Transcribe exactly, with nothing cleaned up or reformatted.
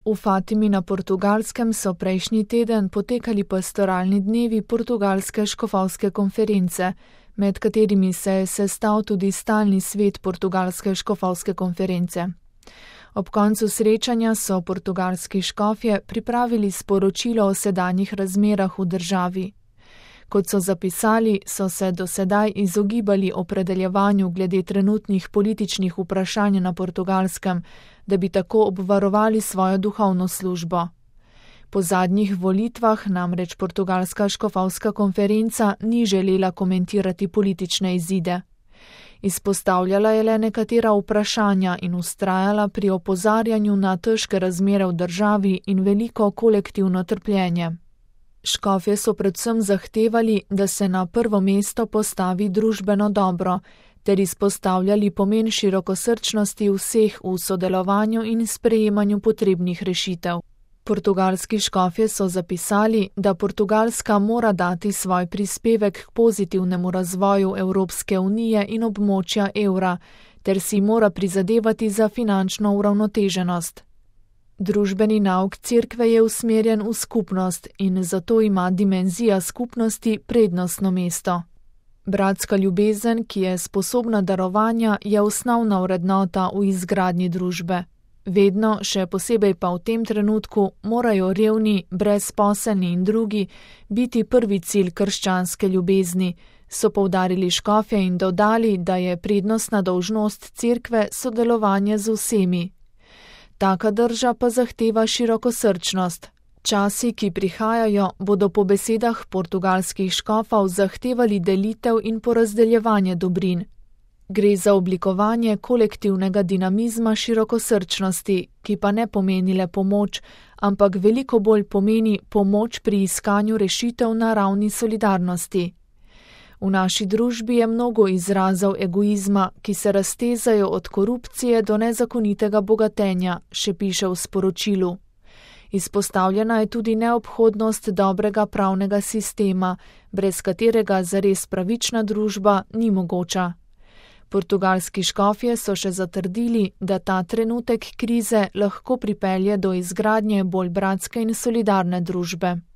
V Fatimi na Portugalskem so prejšnji teden potekali pastoralni dnevi portugalske škofovske konference, med katerimi se je sestal tudi stalni svet portugalske škofovske konference. Ob koncu srečanja so portugalski škofje pripravili sporočilo o sedanjih razmerah v državi. Kot so zapisali, so se do sedaj izogibali opredeljevanju glede trenutnih političnih vprašanj na Portugalskem, da bi tako obvarovali svojo duhovno službo. Po zadnjih volitvah namreč portugalska škofovska konferenca ni želela komentirati politične izide. Izpostavljala je le nekatera vprašanja in vztrajala pri opozarjanju na težke razmere v državi in veliko kolektivno trpljenje. Škofje so predvsem zahtevali, da se na prvo mesto postavi družbeno dobro, ter izpostavljali pomen širokosrčnosti vseh v sodelovanju in sprejemanju potrebnih rešitev. Portugalski škofje so zapisali, da Portugalska mora dati svoj prispevek k pozitivnemu razvoju Evropske unije in območja evra, ter si mora prizadevati za finančno uravnoteženost. Družbeni nauk cerkve je usmerjen v skupnost in zato ima dimenzija skupnosti prednostno mesto. Bratska ljubezen, ki je sposobna darovanja, je osnovna vrednota v izgradnji družbe. Vedno, še posebej pa v tem trenutku, morajo revni, brezposelni in drugi biti prvi cilj krščanske ljubezni, so poudarili škofje in dodali, da je prednostna dolžnost cerkve sodelovanje z vsemi. Taka drža pa zahteva širokosrčnost. Časi, ki prihajajo, bodo po besedah portugalskih škofov zahtevali delitev in porazdeljevanje dobrin. Gre za oblikovanje kolektivnega dinamizma širokosrčnosti, ki pa ne pomeni le pomoč, ampak veliko bolj pomeni pomoč pri iskanju rešitev na ravni solidarnosti. V naši družbi je mnogo izrazov egoizma, ki se raztezajo od korupcije do nezakonitega bogatenja, še piše v sporočilu. Izpostavljena je tudi neobhodnost dobrega pravnega sistema, brez katerega zares pravična družba ni mogoča. Portugalski škofje so še zatrdili, da ta trenutek krize lahko pripelje do izgradnje bolj bratske in solidarne družbe.